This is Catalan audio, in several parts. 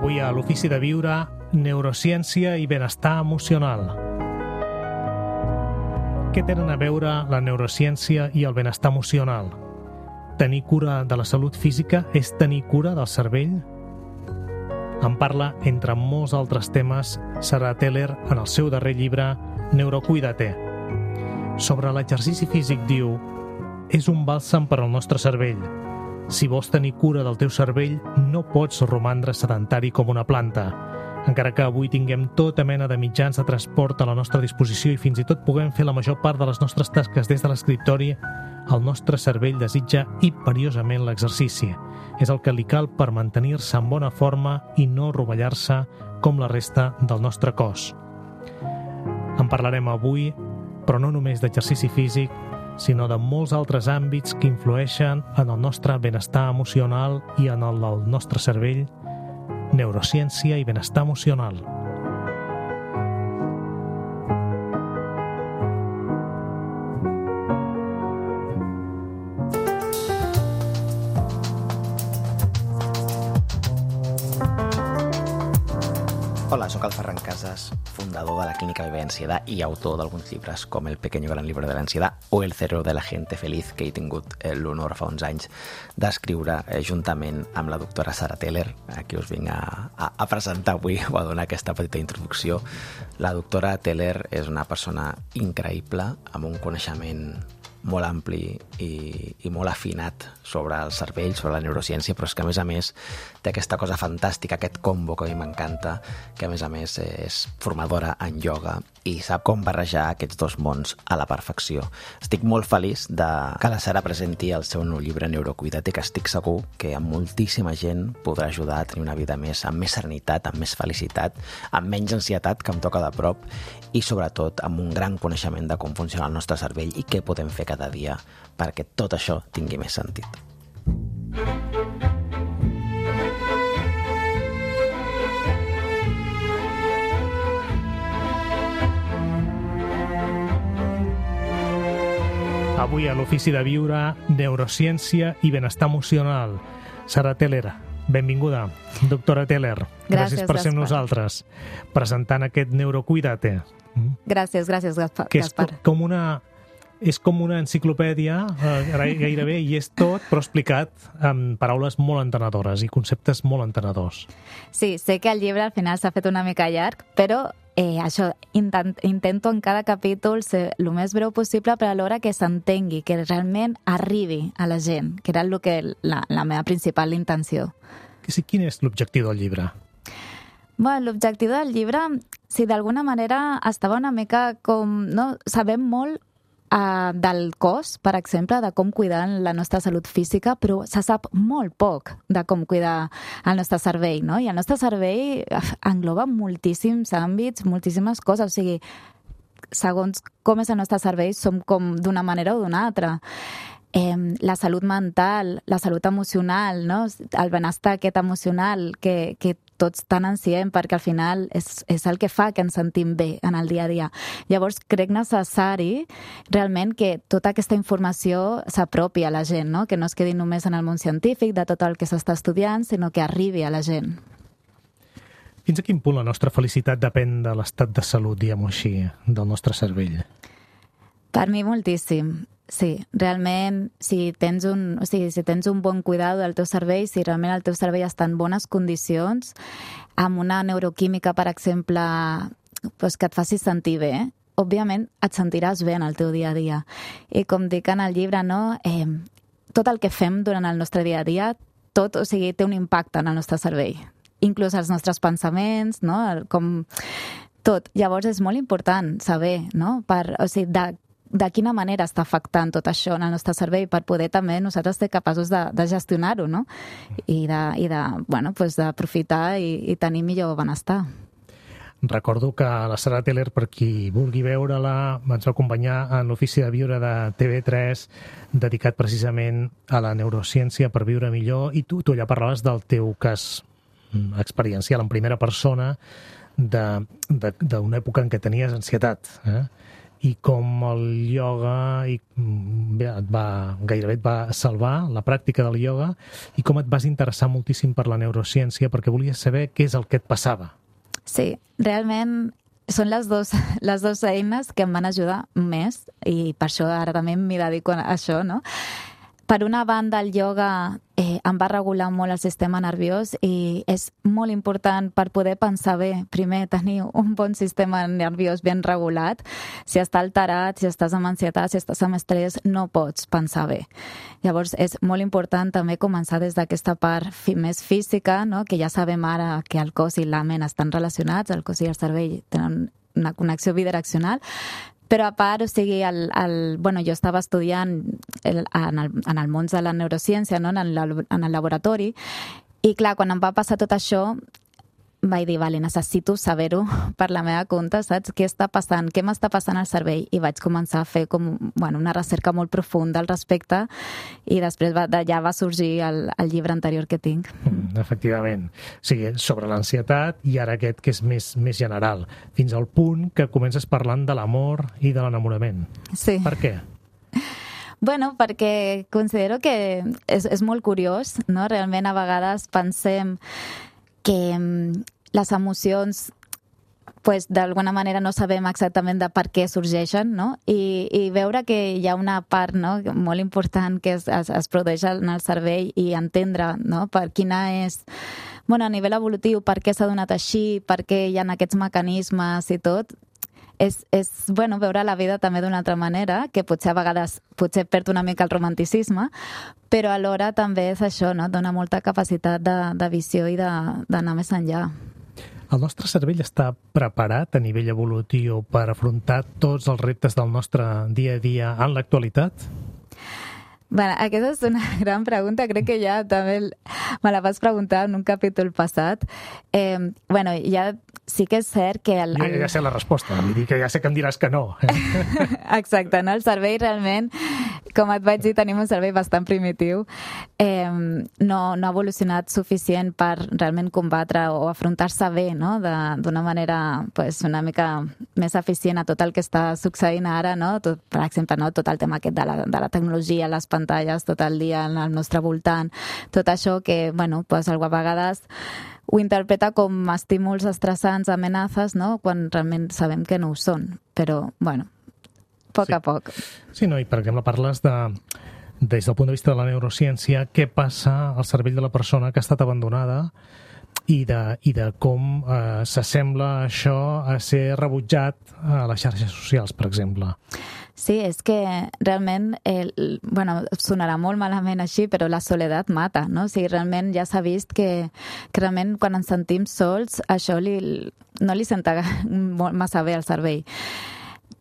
Avui a l'Ofici de Viure, neurociència i benestar emocional. Què tenen a veure la neurociència i el benestar emocional? Tenir cura de la salut física és tenir cura del cervell? En parla, entre molts altres temes, Sarah Teller en el seu darrer llibre Neurocuídate. Sobre l'exercici físic diu: és un bàlsam per al nostre cervell. Si vols tenir cura del teu cervell, no pots romandre sedentari com una planta. Encara que avui tinguem tota mena de mitjans de transport a la nostra disposició i fins i tot puguem fer la major part de les nostres tasques des de l'escriptori, el nostre cervell desitja imperiosament l'exercici. És el que li cal per mantenir-se en bona forma i no rovellar-se com la resta del nostre cos. En parlarem avui, però no només d'exercici físic, sinó de molts altres àmbits que influeixen en el nostre benestar emocional i en el del nostre cervell, neurociència i benestar emocional. Hola, sóc el Ferran Casas, fundador de la Clínica Vive Ansietat i autor d'alguns llibres com El pequeño gran libro de la ansiedad o El cerebro de la gente feliz, que he tingut l'honor fa uns anys d'escriure juntament amb la doctora Sarah Teller, a qui us vinc a presentar avui o a donar aquesta petita introducció. La doctora Teller és una persona increïble, amb un coneixement molt ampli i molt afinat sobre el cervell, sobre la neurociència, però és que a més té aquesta cosa fantàstica, aquest combo que a mi m'encanta, que a més és formadora en ioga i sap com barrejar aquests dos mons a la perfecció. Estic molt feliç que la Sara presenti el seu nou llibre Neurocuídate, que estic segur que a moltíssima gent podrà ajudar a tenir una vida amb més serenitat, amb més felicitat, amb menys ansietat, que em toca de prop, i sobretot amb un gran coneixement de com funciona el nostre cervell i què podem fer cada dia perquè tot això tingui més sentit. Avui a l'Ofici de Viure, neurociència i benestar emocional. Sarah Teller, benvinguda. Doctora Teller, gràcies per ser amb nosaltres, presentant aquest Neurocuídate. Gràcies, Gaspar. Que és com una enciclopèdia, gairebé, i és tot, però explicat amb paraules molt entenedores i conceptes molt entenedors. Sí, sé que el llibre al final s'ha fet una mica llarg, però això, intento en cada capítol ser el més breu possible, però alhora que s'entengui, que realment arribi a la gent, que era la meva principal intenció. Quin és l'objectiu del llibre? Bueno, l'objectiu del llibre, si d'alguna manera estava una mica com... No? Sabem molt del cos, per exemple, de com cuidar la nostra salut física, però se sap molt poc de com cuidar el nostre cervell, no? I el nostre cervell engloba moltíssims àmbits, moltíssimes coses, o sigui, segons com és el nostre cervell, som com d'una manera o d'una altra. La salut mental, la salut emocional, no? El benestar aquest emocional que tots tan ansiem, perquè al final és el que fa que ens sentim bé en el dia a dia. Llavors crec necessari realment que tota aquesta informació s'apropi a la gent, no? Que no es quedi només en el món científic de tot el que s'està estudiant, sinó que arribi a la gent. Fins a quin punt la nostra felicitat depèn de l'estat de salut, diguem-ho així, del nostre cervell? Per mi moltíssim. Sí, realment, si tens un bon cuidado del teu cervell, si realment el teu cervell està en bones condicions, amb una neuroquímica, per exemple, que et faci sentir bé, òbviament et sentiràs bé en el teu dia a dia. I com dic en el llibre, no? Tot el que fem durant el nostre dia a dia, té un impacte en el nostre cervell. Inclús els nostres pensaments, no? Tot. Llavors és molt important saber, no? De quina manera està afectant tot això en el nostre cervell per poder també nosaltres ser capaços de gestionar-ho, no? I d'aprofitar i tenir millor benestar. Recordo que la Sarah Teller, per qui vulgui veure-la, ens va acompanyar en l'Ofici de Viure de TV3, dedicat precisament a la neurociència per viure millor, i tu allà parlaves del teu cas experiencial en primera persona d'una època en què tenies ansietat, i com el ioga gairebé et va salvar, la pràctica del ioga, i com et vas interessar moltíssim per la neurociència perquè volies saber què és el que et passava. Sí, realment són les dues eines que em van ajudar més i per això ara també m'hi dedico a això, no? Per una banda, el ioga em va regular molt el sistema nerviós i és molt important per poder pensar bé. Primer, tenir un bon sistema nerviós ben regulat. Si està alterat, si estàs amb ansietat, si estàs amb estrès, no pots pensar bé. Llavors, és molt important també començar des d'aquesta part més física, no? Que ja sabem ara que el cos i la ment estan relacionats, el cos i el cervell tenen una connexió bidireccional. Però a part, o sigui, jo estava estudiant en el món de la neurociència, no? en el laboratori, i clar, quan em va passar tot això, vaig dir, vale, necessito saber-ho per la meva compte, saps? Què està passant? Què m'està passant al cervell? I vaig començar a fer una recerca molt profunda al respecte i després d'allà va sorgir el llibre anterior que tinc. Efectivament. O sigui, sobre l'ansietat i ara aquest que és més general, fins al punt que comences parlant de l'amor i de l'enamorament. Sí. Per què? Bueno, perquè considero que és molt curiós, no? Realment a vegades pensem que les emocions d'alguna manera no sabem exactament de per què sorgeixen, no? I veure que hi ha una part, no? Molt important que es produeix en el cervell i entendre, no? Per quina és, a nivell evolutiu, per què s'ha donat així, per què hi ha aquests mecanismes i tot, és veure la vida també d'una altra manera, que potser a vegades perd una mica el romanticisme, però alhora també és això, no? Dona molta capacitat de visió i d'anar més enllà. El nostre cervell està preparat a nivell evolutiu per afrontar tots els reptes del nostre dia a dia en l'actualitat? Bueno, aquesta és una gran pregunta, crec que ja també me la vas preguntar en un capítol passat. Ja sí que és cert que... Ja sé la resposta, vull dir que ja sé que em diràs que no. Exacte, no? El cervell realment, com et vaig dir, tenim un cervell bastant primitiu. No ha evolucionat suficient per realment combatre o afrontar-se bé, no? D'una manera una mica més eficient a tot el que està succeint ara, no? Per exemple, no? Tot el tema aquest de la tecnologia, les pantalles tot el dia al nostre voltant, tot això que, algú a vegades ho interpreta com estímuls estressants, amenaces, no? Quan realment sabem que no ho són. Però, poc a poc. Sí, no, i per exemple parles des del punt de vista de la neurociència, què passa al cervell de la persona que ha estat abandonada i de com s'assembla això a ser rebutjat a les xarxes socials, per exemple. Sí, és que realment, sonarà molt malament així, però la soledat mata, no? O sigui, realment ja s'ha vist que realment quan ens sentim sols, això no li senta massa bé al cervell.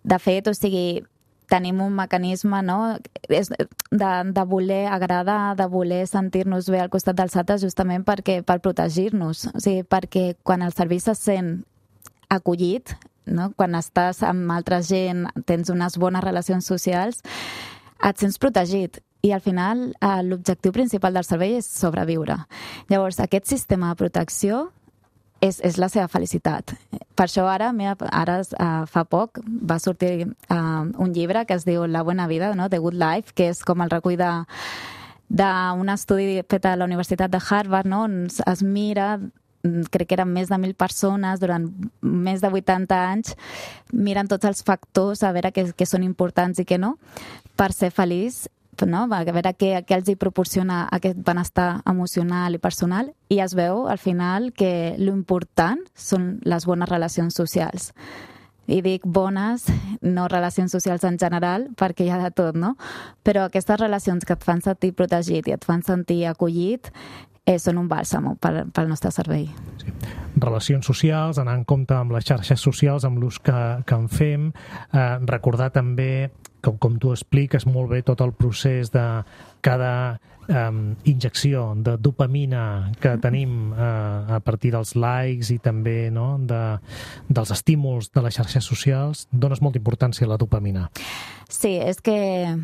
De fet, o sigui, tenim un mecanisme, no?, de voler agradar, de voler sentir-nos bé al costat dels altres justament per protegir-nos. O sigui, perquè quan el cervell se sent acollit, no? Quan estàs amb altra gent, tens unes bones relacions socials, et sents protegit. I al final l'objectiu principal del cervell és sobreviure. Llavors, aquest sistema de protecció és la seva felicitat. Per això ara fa poc va sortir un llibre que es diu La Buena Vida, no? The Good Life, que és com el recull d'un estudi fet a la Universitat de Harvard, no? On es mira, crec que eren més de 1.000 persones durant més de 80 anys, miren tots els factors a veure què són importants i què no, per ser feliç, no? A veure què els hi proporciona aquest benestar emocional i personal, i es veu al final que l'important són les bones relacions socials. I dic bones, no relacions socials en general, perquè hi ha de tot, no? Però aquestes relacions que et fan sentir protegit i et fan sentir acollit són un bàlsam pel nostre cervell. Sí. Relacions socials, anar en compte amb les xarxes socials, amb l'ús que en fem, recordar també, com tu expliques molt bé, tot el procés de cada injecció de dopamina que tenim a partir dels likes i també dels estímuls de les xarxes socials, dones molta importància a la dopamina. Sí, és que...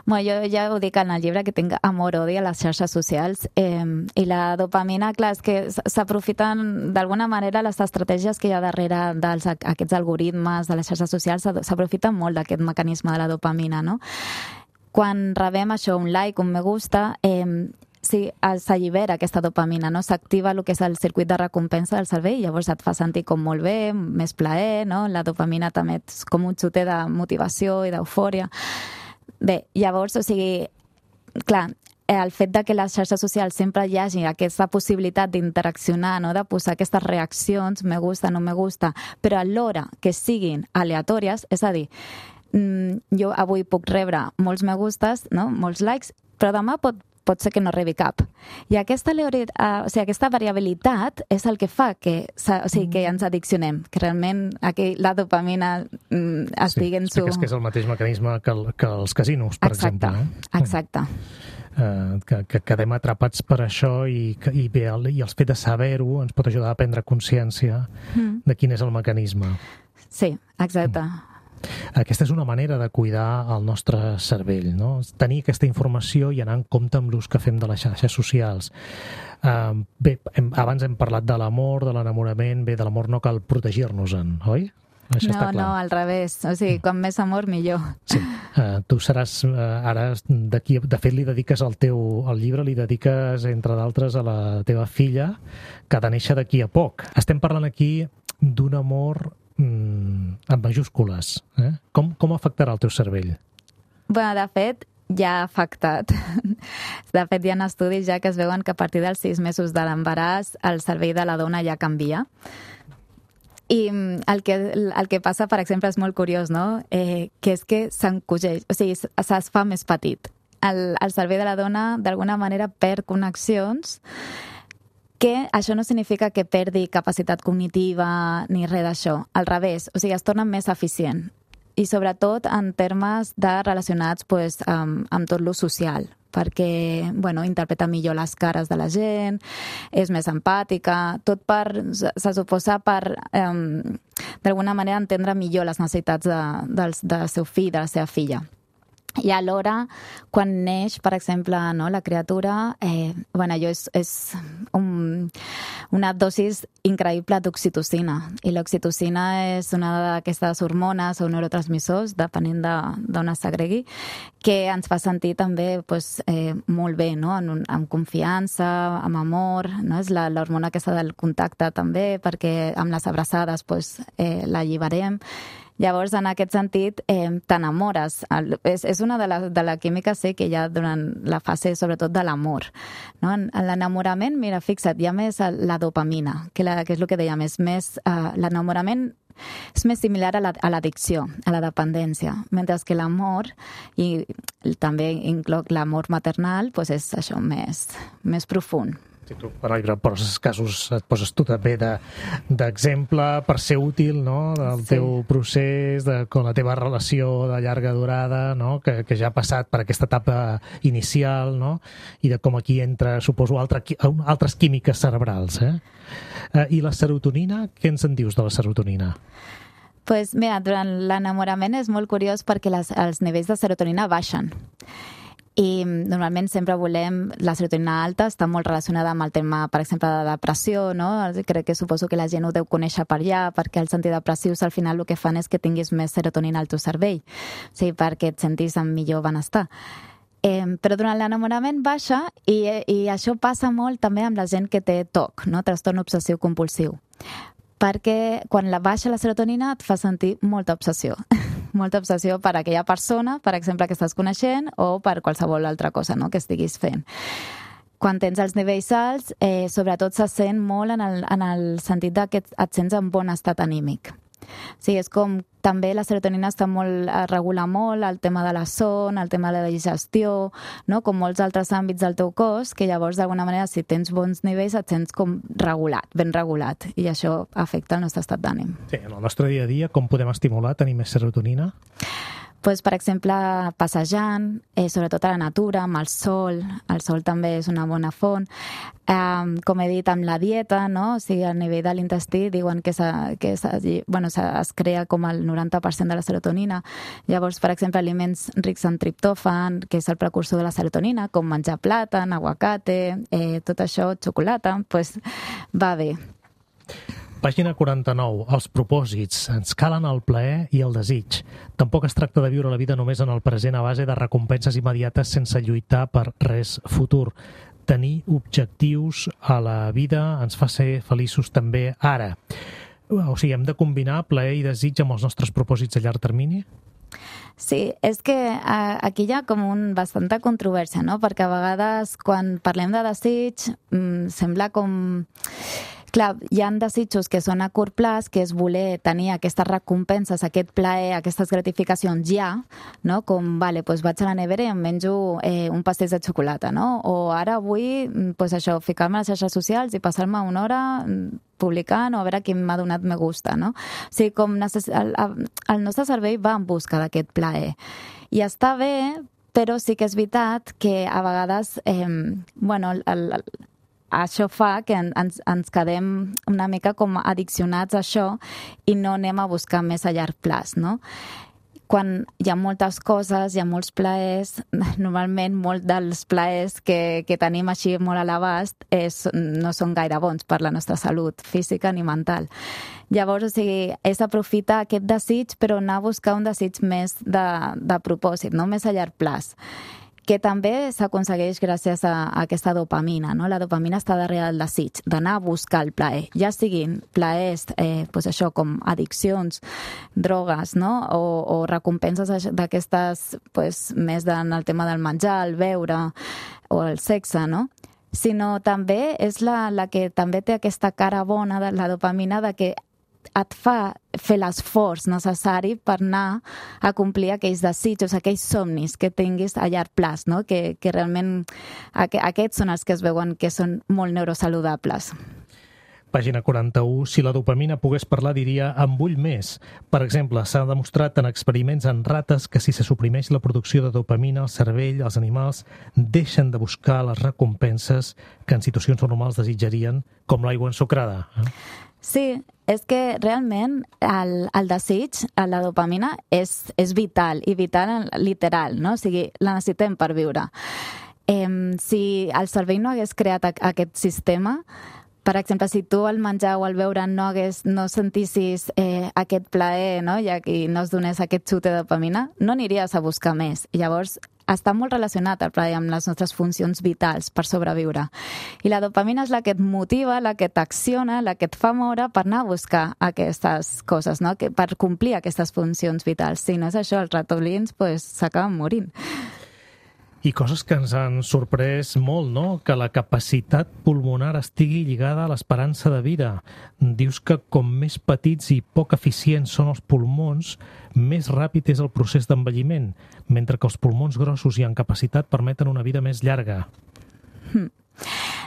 Bueno, jo ja ho dic en el llibre que tinc amor-odi a les xarxes socials i la dopamina, clar, és que s'aprofiten d'alguna manera les estratègies que hi ha darrere d'aquests algoritmes de les xarxes socials, s'aprofiten molt d'aquest mecanisme de la dopamina, no? Quan rebem això, un like, un me gusta, sí, s'allibera aquesta dopamina, no? S'activa el que és el circuit de recompensa del cervell i llavors et fa sentir com molt bé, més plaer, no? La dopamina també és com un xuter de motivació i d'eufòria. Bé, llavors, o sigui, clar, el fet de que les xarxes socials sempre hi hagi aquesta possibilitat d'interaccionar, no? De posar aquestes reaccions, me gusta, no me gusta, però alhora que siguin aleatòries, és a dir, jo avui puc rebre molts me gustes, no? Molts likes, però demà pot ser que no rebi cap. I aquesta variabilitat és el que fa que ens addiccionem, que realment aquí la dopamina estigui en su... Sí, que és el mateix mecanisme que els casinos, per exemple. Exacte. Que quedem atrapats per això i el fet de saber-ho ens pot ajudar a prendre consciència de quin és el mecanisme. Sí, exacte. Aquesta és una manera de cuidar el nostre cervell, no? Tenir aquesta informació i anar en compte amb l'ús que fem de les xarxes socials. Bé, abans hem parlat de l'amor, de l'enamorament. Bé, de l'amor no cal protegir-nos-en, oi? Això està clar. No, al revés. O sigui, com més amor, millor. Sí. Tu seràs ara d'aquí... De fet, li dediques el llibre, li dediques, entre d'altres, a la teva filla, que ha de néixer d'aquí a poc. Estem parlant aquí d'un amor amb majúscules. Com afectarà el teu cervell? Bé, de fet, ja ha afectat. De fet, hi ha estudis ja que es veuen que a partir dels 6 mesos de l'embaràs el cervell de la dona ja canvia. I el que passa, per exemple, és molt curiós, no? Que és que s'encogeix, o sigui, es fa més petit. El cervell de la dona, d'alguna manera, perd connexions, que això no significa que perdi capacitat cognitiva ni res d'això. Al revés, o sigui, es torna més eficient. I sobretot en termes de relacionats amb tot lo social, perquè interpreta millor les cares de la gent, és més empàtica, tot se suposa per d'alguna manera entendre millor les necessitats del seu fill, de la seva filla. I alhora, quan neix, per exemple, la criatura, allò és una dosis increïble d'oxitocina. I l'oxitocina és una d'aquestes hormones o neurotransmissors, depenent d'on es segregui, que ens fa sentir també molt bé, no? Amb confiança, amb amor, no? És l'hormona aquesta del contacte també, perquè amb les abraçades l'alliberem. Llavors, en aquest sentit, t'enamores. És una de la química, sí, que hi ha durant la fase, sobretot, de l'amor. No? En l'enamorament, mira, fixa't, hi ha més la dopamina, que és el que dèiem, l'enamorament és més similar a l'addicció, a la dependència, mentre que l'amor, i també incloc l'amor maternal, és això, més profund. Si tu, per exemple, et poses tu també d'exemple per ser útil, no? Del teu procés, de la teva relació de llarga durada, no? Que ja ha passat per aquesta etapa inicial, no? I de com aquí entra, suposo, altres químiques cerebrals. I la serotonina, què ens en dius de la serotonina? Doncs mira, durant l'enamorament és molt curiós perquè els nivells de serotonina baixen. I normalment sempre volem la serotonina alta, està molt relacionada amb el tema, per exemple, de depressió, no? Crec que suposo que la gent ho deu conèixer per allà, perquè els antidepressius al final el que fan és que tinguis més serotonina al teu cervell, o sigui, perquè et sentis amb millor benestar. Però durant l'enamorament baixa i això passa molt també amb la gent que té TOC, no? Trastorn obsessiu compulsiu, perquè quan baixa la serotonina et fa sentir molta obsessió per aquella persona, per exemple, que estàs coneixent, o per qualsevol altra cosa, no?, que estiguis fent. Quan tens els nivells alts, sobretot se sent molt en el sentit que et sents en bon estat anímic. Sí, és com també la serotonina regula molt el tema de la son, el tema de la digestió, no? Com molts altres àmbits del teu cos, que llavors d'alguna manera si tens bons nivells et sents com regulat, ben regulat, i això afecta el nostre estat d'ànim. Sí, en el nostre dia a dia com podem estimular tenir més serotonina? pues, per exemple, passejant, sobretot a la natura, amb el sol també és una bona font. Com he dit, amb la dieta, no? O sigui, a nivell de l'intestí diuen que es crea com el 90% de la serotonina. Llavors, per exemple, aliments rics en triptòfan, que és el precursor de la serotonina, com menjar plàtan, aguacate, tot això, xocolata, pues va bé. Pàgina 49. Els propòsits. Ens calen el plaer i el desig. Tampoc es tracta de viure la vida només en el present a base de recompenses immediates sense lluitar per res futur. Tenir objectius a la vida ens fa ser feliços també ara. O sigui, hem de combinar plaer i desig amb els nostres propòsits a llarg termini? Sí, és que aquí hi ha com bastanta controvèrsia, no? Perquè a vegades quan parlem de desig sembla com... Clar, hi ha desitjos que són a curt plaç, que és voler tenir aquestes recompenses, aquest plaer, aquestes gratificacions ja, no? Com, doncs vaig a la nevera i em menjo un pastís de xocolata, no? O ara vull, doncs això, ficar-me a les xarxes socials i passar-me una hora publicant o a veure qui m'ha donat me gusta, no? O sigui, com el nostre cervell va en busca d'aquest plaer. I està bé, però sí que és veritat que a vegades, això fa que ens quedem una mica com addiccionats a això i no anem a buscar més a llarg plaç, no? Quan hi ha moltes coses, hi ha molts plaers, normalment molts dels plaers que tenim així molt a l'abast no són gaire bons per la nostra salut física ni mental. Llavors, o sigui, és aprofitar aquest desig, però anar a buscar un desig més de propòsit, no? Més a llarg plaç, que també s'aconsegueix gràcies a aquesta dopamina, no? La dopamina està darrere del desig, d'anar a buscar el plaer, ja siguin plaers, doncs això, com addiccions, drogues, no? O recompenses d'aquestes, doncs, més en el tema del menjar, el beure o el sexe, no? Sinó també és la que també té aquesta cara bona de la dopamina, de que et fa fer l'esforç necessari per anar a complir aquells desitjos, aquells somnis que tinguis a llarg plaç, no? Que realment aquests són els que es veuen que són molt neurosaludables. Pàgina 41. Si la dopamina pogués parlar, diria en vull més. Per exemple, s'ha demostrat en experiments en rates que si se suprimeix la producció de dopamina, el cervell, els animals, deixen de buscar les recompenses que en situacions normals desitjarien, com l'aigua ensucrada. Sí, és que realment el desig, la dopamina, és vital, i vital literal, no? O sigui, la necessitem per viure. Si el cervell no hagués creat aquest sistema, per exemple, si tu al menjar o al beure no sentissis aquest plaer, no? I no es donés aquest xut de dopamina, no aniries a buscar més. I llavors està molt relacionat el plaer amb les nostres funcions vitals per sobreviure. I la dopamina és la que et motiva, la que t'acciona, la que et fa moure per anar a buscar aquestes coses, no? Per complir aquestes funcions vitals. Si no és això, els ratolins s'acaben morint. I coses que ens han sorprès molt, no? Que la capacitat pulmonar estigui lligada a l'esperança de vida. Dius que com més petits i poc eficients són els pulmons, més ràpid és el procés d'envelliment, mentre que els pulmons grossos i en capacitat permeten una vida més llarga.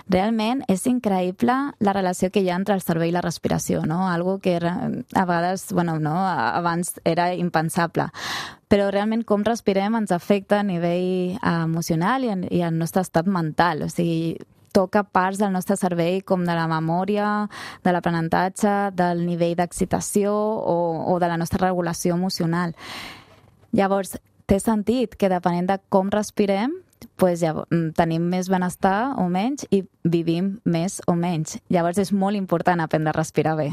Realment és increïble la relació que hi ha entre el cervell i la respiració, no? Algo que a vegades, abans era impensable. Però realment com respirem ens afecta a nivell emocional i al nostre estat mental. O sigui, toca parts del nostre cervell com de la memòria, de l'aprenentatge, del nivell d'excitació o de la nostra regulació emocional. Llavors, té sentit que depenent de com respirem, ja tenim més benestar o menys i vivim més o menys. Llavors és molt important aprendre a respirar bé.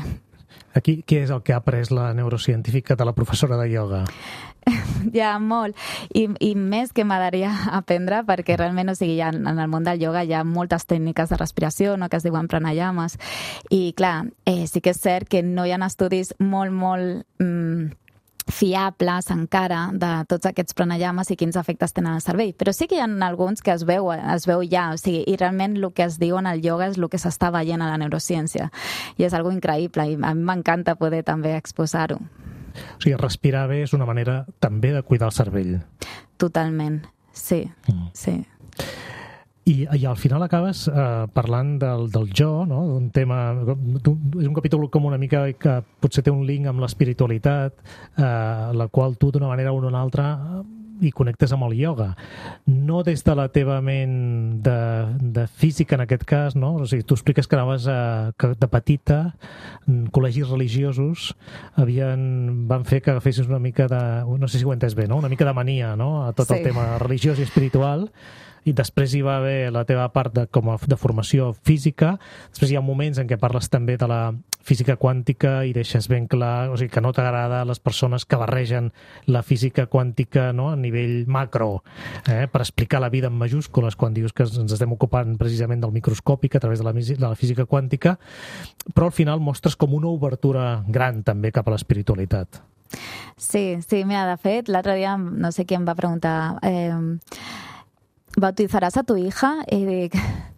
Aquí, què és el que ha après la neurocientífica de la professora de ioga? Ja, molt. I més que m'agradaria aprendre, perquè realment, en el món del ioga hi ha moltes tècniques de respiració, no?, que es diuen pranayamas. I, clar, sí que és cert que no hi ha estudis molt fiables encara de tots aquests pranayamas i quins efectes tenen al cervell. Però sí que hi ha alguns que es veu ja, o sigui, i realment el que es diu en el ioga és el que s'està veient a la neurociència. I és algo increïble i a mi m'encanta poder també exposar-ho. O sigui, respirar bé és una manera també de cuidar el cervell. Totalment, sí, sí. I al final acabes parlant del jo, no? D'un tema... És un capítol com una mica que potser té un link amb l'espiritualitat, la qual tu d'una manera o d'una altra i connectes amb el ioga. No des de la teva ment de física, en aquest cas, no? O sigui, tu expliques que anaves que de petita, col·legis religiosos van fer que agafessis una mica de... No sé si ho he entès bé, no? Una mica de mania, no? A tot el tema religiós i espiritual. I després hi va haver la teva part de formació física. Després hi ha moments en què parles també de la física quàntica i deixes ben clar, o sigui, que no t'agrada les persones que barregen la física quàntica, no? A nivell macro, per explicar la vida en majúscules, quan dius que ens estem ocupant precisament del microscòpic a través de la física quàntica, però al final mostres com una obertura gran també cap a l'espiritualitat. Sí, mira, de fet, l'altre dia no sé qui em va preguntar... ¿bautizaràs a tu hija? I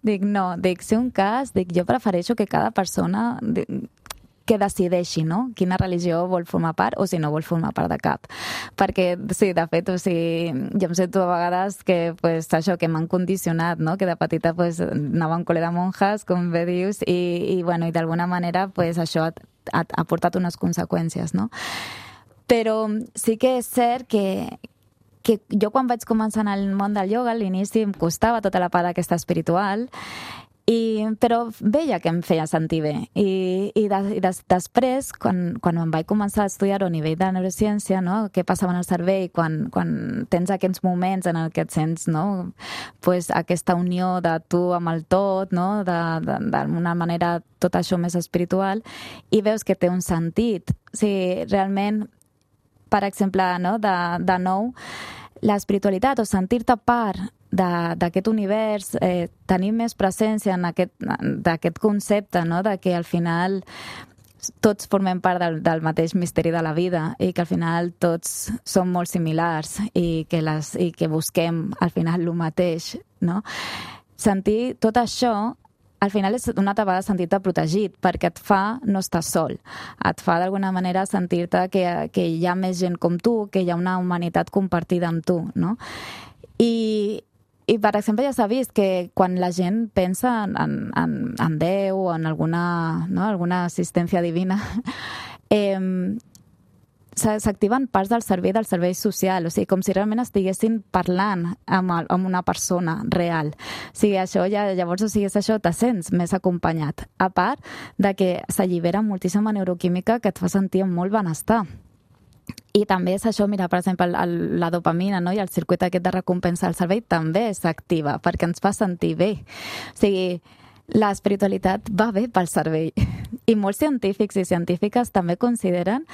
dic no, si un cas, jo prefereixo que cada persona que decideixi, no?, quina religió vol formar part o si no vol formar part de cap. Perquè, sí, de fet, o sigui, jo em sento a vegades que, pues, això, que m'han condicionat, no?, que de petita, pues, anava a un col·le de monjas, com bé dius, i bueno, i d'alguna manera, pues, això ha portat unes conseqüències, no? Però sí que és cert que jo quan vaig començar en el món del ioga, a l'inici em costava tota la part aquesta espiritual, però veia que em feia sentir bé. I després, quan em vaig començar a estudiar a nivell de neurociència, no? Què passava en el cervell quan tens aquests moments en què et sents, no? Pues, aquesta unió de tu amb el tot, no? D'una manera tot això més espiritual, i veus que té un sentit. O sigui, realment, per exemple, no? De nou, l'espiritualitat o sentir-te part d'aquest univers, tenir més presència en d'aquest concepte, no? De que al final tots formem part del mateix misteri de la vida i que al final tots som molt similars i que busquem al final el mateix, no? Sentir tot això al final és una altra vegada sentir-te protegit, perquè et fa no estar sol. Et fa d'alguna manera sentir-te que hi ha més gent com tu, que hi ha una humanitat compartida amb tu, no? I per exemple, ja s'ha vist que quan la gent pensa en Déu o en alguna assistència divina, s'activen parts del cervell social, o sigui, com si realment estiguessin parlant amb una persona real. O sigui, això llavors, o sigui, això te sents més acompanyat. A part de que s'allibera moltíssima neuroquímica que et fa sentir amb molt benestar. I també és això, mira, per exemple, la dopamina, no? I el circuit aquest de recompensa del cervell també s'activa perquè ens fa sentir bé. O sigui, l'espiritualitat va bé pel cervell. I molts científics i científiques també consideren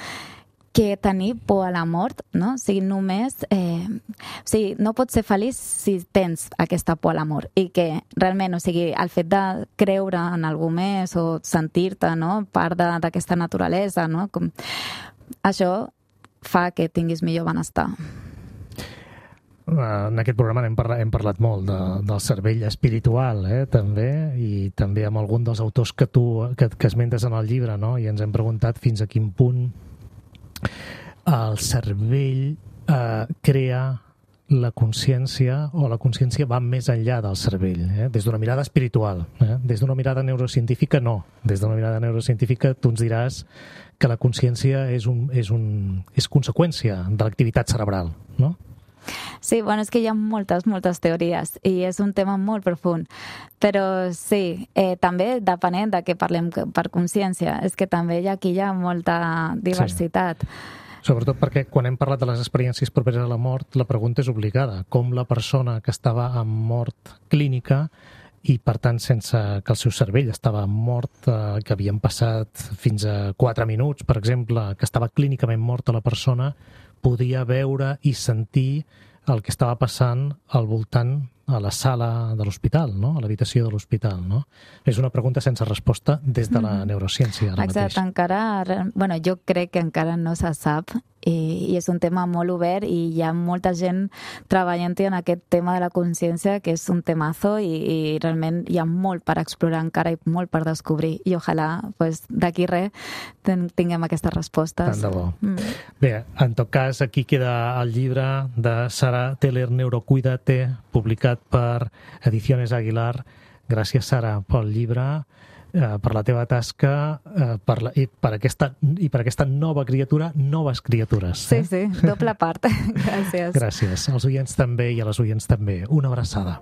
que tenir por a la mort, no? O sigui, només... o sigui, no pots ser feliç si tens aquesta por a la mort. I que realment, o sigui, el fet de creure en algú més o sentir-te, no?, part d'aquesta naturalesa, no? Això fa que tinguis millor benestar. En aquest programa hem parlat molt del cervell espiritual, també, i també amb algun dels autors que esmentes en el llibre, no? I ens hem preguntat fins a quin punt el cervell crea la consciència, o la consciència va més enllà del cervell, des d'una mirada espiritual. Des d'una mirada neurocientífica, no. Des d'una mirada neurocientífica tu ens diràs que la consciència és conseqüència de l'activitat cerebral, no? Sí, bueno, és que hi ha moltes teories i és un tema molt profund, però sí, també depenent de què parlem per consciència, és que també aquí hi ha molta diversitat. Sí. Sobretot perquè quan hem parlat de les experiències properes a la mort, la pregunta és obligada. Com la persona que estava en mort clínica i, per tant, sense que el seu cervell estava mort, que havien passat fins a 4 minuts, per exemple, que estava clínicament morta la persona, podia veure i sentir el que estava passant al voltant a la sala de l'hospital, no? A l'habitació de l'hospital, no? És una pregunta sense resposta des de la neurociència ara mateix. Exacte, encara... Bueno, jo crec que encara no se sap i és un tema molt obert i hi ha molta gent treballant-hi en aquest tema de la consciència, que és un temazo i realment hi ha molt per explorar encara i molt per descobrir i ojalà d'aquí res tinguem aquestes respostes. Tant de bo. Bé, en tot cas, aquí queda el llibre de Sara Teller, Neurocuídate, publicat per Ediciones Aguilar. Gràcies, Sara, pel llibre, per la teva tasca i per aquesta nova criatura, noves criatures. Sí, sí, doble part. Gràcies. Gràcies. Als oients també i a les oients també. Una abraçada.